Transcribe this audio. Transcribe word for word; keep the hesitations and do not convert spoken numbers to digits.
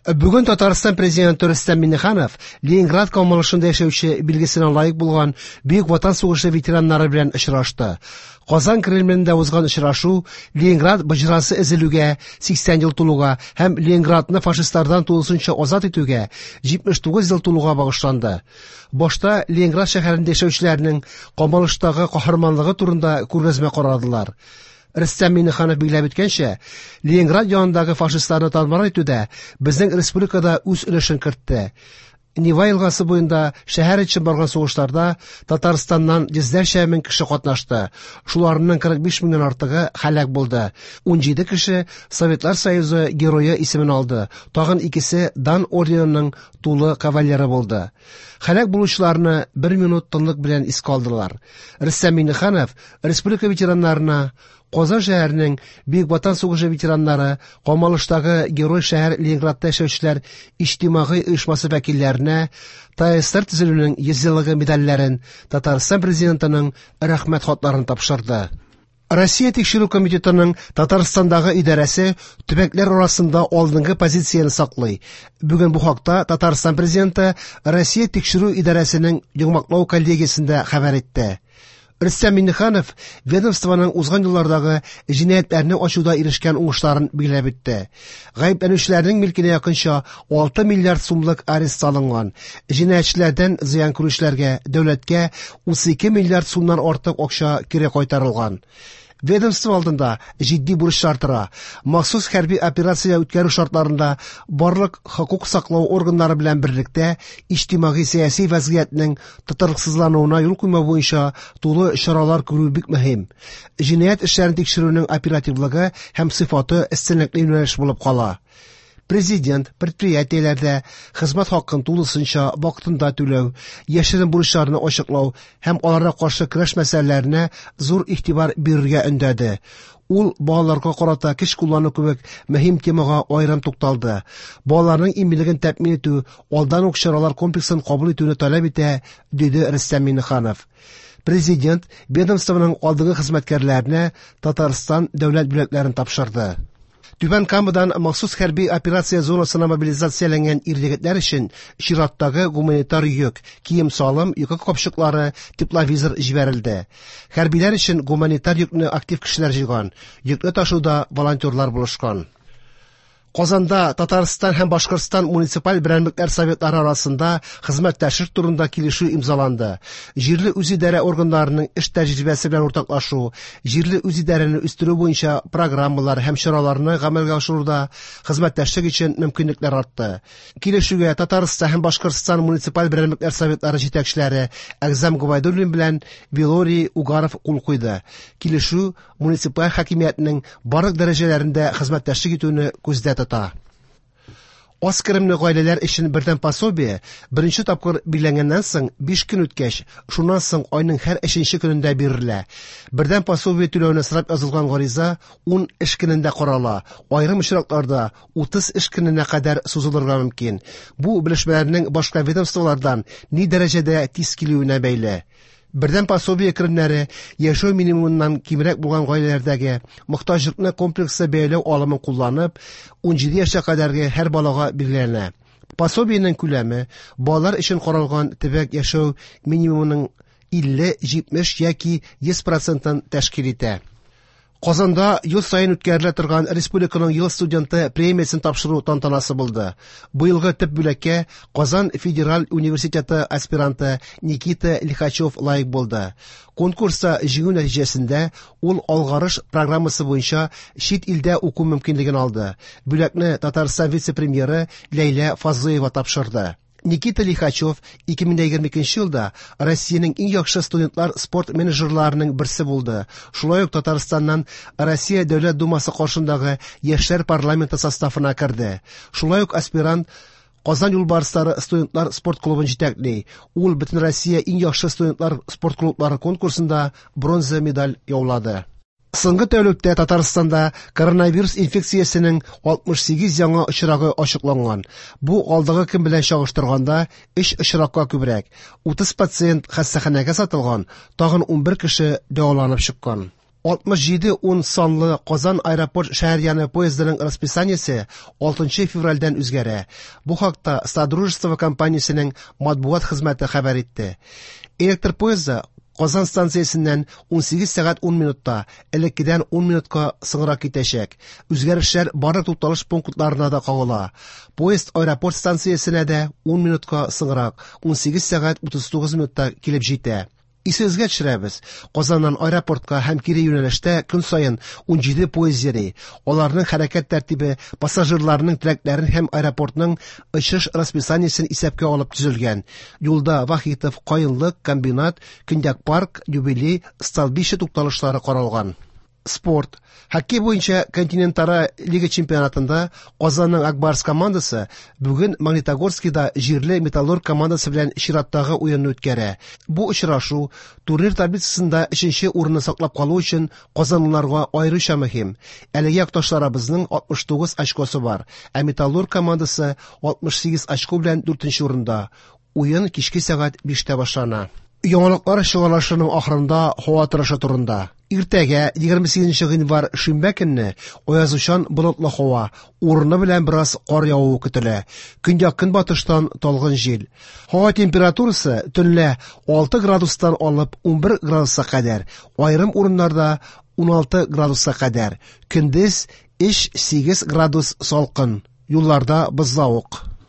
Бүген Татарстан президенты Рөстәм Миңнеханов Ленинград камалышында яшәүче билгесенә лаек булган Бөек Ватан сугышы ветераннары белән очрашты. Казан Кремлендә узган очрашу Ленинград боҗрасы өзелүгә сиксән ел тулуга һәм Ленинградны фашистлардан тулысынча азат итүгә җитмеш тугыз ел тулуга багышланды. Башта Ленинград шәһәрендә яшәүчеләрнең камалыштагы каһарманлыгы турында күргәзмә карадылар. Рөстәм Миңнеханов билгеләп үткәнчә, Ленинград янындагы фашистларны тар-мар итүдә безнең республикада үз өлешен кертте. Нева елгасы буенда шәһәр өчен барган сугышларда Татарстаннан йөзләрчә мең кеше катнашты. Шуларның кырык биш меңнән артыгы һәлак булды. Ун җиде кеше Советлар Союзы герое исемен алды. Тагын икесе Дан орденының тулы кавалеры булды. Һәлак булучыларны бер минут тынлык белән искә алдылар. Рөстәм Миңнеханов республика ветераннарына Казан шәһәренең Бөек Ватан сугышы ветераннары, Камалыштагы герой шәһәр Ленинградта яшәүчеләр иҗтимагый оешмасы вәкилләренә ТАССР төзелүенең йөз еллыгы медальләрен, Татарстан президентының рәхмәт хатларын тапшырды. Россия тикшерү комитетының Татарстандагы идарәсе төбәкләр арасында алдынгы позицияне саклый. Бүген бу хакта Татарстан президенты Россия тикшерү идарәсенең йомгаклау коллегиясендә хәбәр итте. Рөстәм Миңнеханов ведомствоның узган еллардагы җинаятьләрне ачуда ирешкән уңышларын билгеләп үтте. Гаепләнүчеләрнең милкенә якынча алты миллиард сумлык арест салынган. Җинаятьчеләрдән зыян күрүчеләргә дәүләткә утыз ике миллиард сумнан артык акча кире кайтарылган. Ведомство алдында җитди бурычлар тора. Махсус хәрби операция үткәрү шартларында барлык хокук саклау органнары белән берлектә иҗтимагый сәяси вазгыятьнең тотрыксызлануына юл куймау буенча тулы чаралар күрү бик мөһим. Җинаять эшләрен тикшерүнең оперативлыгы һәм сыйфаты өстенлекле юнәлеш булып кала. Президент предприятиеләрдә хезмәт хакын тулысынча вакытында түләү, яшерен бурычларны ачыклау һәм аларга каршы көрәш мәсьәләләренә зур игътибар бирергә өндәде. Ул балаларга карата көч куллану кебек мөһим темага аерым тукталды. Балаларның иминлеген тәэмин итү алдан ук чаралар комплексын кабул итүне таләп итә, диде Рөстәм Миңнеханов. Президент ведомствоның алдынгы хезмәткәрләренә Татарстан дәүләт бүләкләрен тапшырды. Түбән Камадан махсус хәрби операция зонасына мобилизацияләнгән ир-егетләр өчен чираттагы гуманитар йөк, кием-салым, йокы капчыклары, тепловизор җибәрелде. Хәрбиләр өчен гуманитар йөкне актив кешеләр җыйган. Йөкне ташуда волонтерлар булышкан. Казанда Татарстан һәм Башкортстан муниципаль берәмлекләр советлары арасында хезмәттәшлек турында килешү имзаланды. Җирле үзидарә органнарының эш тәҗрибәсе белән уртаклашу, җирле үзидарәне үстерү буенча программалар һәм чараларны гамәлгә ашыруда хезмәттәшлек өчен мөмкинлекләр артты. Килешүгә Татарстан һәм Башкортстан муниципаль берәмлекләр советлары җитәкчеләре Әгъзам Гобәйдуллин белән Вилорий Угаров кул куйды. Килешү муниципаль хакимиятнең барлык дәрәҗәләрендә хезмәттәшлек итүне күздә тота. Аз керемле гаиләләр өчен бердәм пособие беренче тапкыр билгеләнгәннән соң биш көн үткәч, шуннан соң айның һәр өченче көнендә бирелә. Бердәм пособие түләүне сорап язылган гариза ун эш көнендә карала. Аерым очракларда утыз эш көненә кадәр сузылырга мөмкин. Бу белешмәләрнең башка ведомстволардан ни дәрәҗәдә тиз килүенә бәйле. Бердәм пособие керемнәре яшәү минимумыннан кимрәк булган гаиләләрдәге мохтаҗлыкны комплекслы бәяләү алымын кулланып, ун җиде яшькә кадәрге һәр балага билгеләнә. Пособиенең күләме балалар өчен каралган төбәк яшәү минимумының илле, җитмеш яки йөз процентын тәшкил итә. Казанда ел саен үткәрелә торган Республиканың ел студенты премиясен тапшыру тантанасы булды. Быелгы төп бүләккә Казан федераль университеты аспиранты Никита Лихачев лаек булды. Конкурста җиңү нәтиҗәсендә ул Алгарыш программасы буенча чит илдә уку мөмкинлеген алды. Бүләкне Татарстан вице-премьеры Ләйлә Фазлыева тапшырды. Никита Лихачев ике мең егерме икенче елда Россиянең иң яхшы студентлар спорт менеджерларының берсе булды. Шулай ук Татарстаннан Россия Дәүләт Думасы каршындагы Яшьләр парламенты составына керде. Шулай ук аспирант Казан юлбарыслары студентлар спорт клубын җитәкли. Ул бөтен Россия иң яхшы студентлар спорт клублары конкурсында бронза медаль яулады. Соңгы тәүлектә Татарстанда коронавирус инфекциясенең алтмыш сигез яңа очрагы ачыкланган. Бу алдагы көн белән чагыштырганда өч очракка күбрәк. Утыз пациент хастаханәгә сатылган, тагын унбер кеше дәваланып чыккан. алтмыш җиде ун санлы Казан аэропорт шәһәр яны поездының расписаниесе алтынчы февральдән үзгәрә. Бу хакта Содружество компаниясенең матбугат хезмәте хәбәр итте. Электр поезды Казан станциясеннән унсигез сәгать ун минутта, элеккедән ун минутка соңрак китәчәк. Үзгәрешләр барлык тукталыш пунктларына да кагыла. Поезд аэропорт станциясенә дә ун минутка соңрак, унсигез сәгать утыз тугыз минутта килеп җитә. Исегезгә төшерәбез, Казаннан аэропортка һәм кире юнәлештә көн саен ун җиде поезд йөри. Аларның хәрәкәт тәртибе пассажирларның теләкләрен һәм аэропортның очыш расписаниесен исәпкә алып төзелгән. Юлда Вахитов, Каенлык, Комбинат, Көньяк парк, Юбилей, Столбище тукталышлары каралган. Спорт. Хоккей буенча континентара лига чемпионатында Казанның Акбарс командасы бүген Магнитогорскида җирле Металлург командасы белән чираттагы уенны үткәрә. Бу очрашу турнир таблицасында өченче урынны саклап калу өчен казанлыларга аеруча мөһим. Әлеге якташларыбызның алтмыш тугыз очкосы бар, ә Металлург командасы алтмыш сигез очко белән дүртенче урында. Уен кичке сәгать биштә башлана. Яңалыклар чыгарылышының ахырында һава торышы турында. Иртәгә егерме сигезенче гыйнвар шимбә көнне аязучан болытлы һава, урыны белән бераз кар явуы көтелә. Көньяк-көнбатыштан талгын җил. Һава температурасы төнлә алты градустан алып унбер градуска кадәр, аерым урыннарда уналты градуска кадәр. Көндез өч сигез градус салкын. Юлларда бозлавык.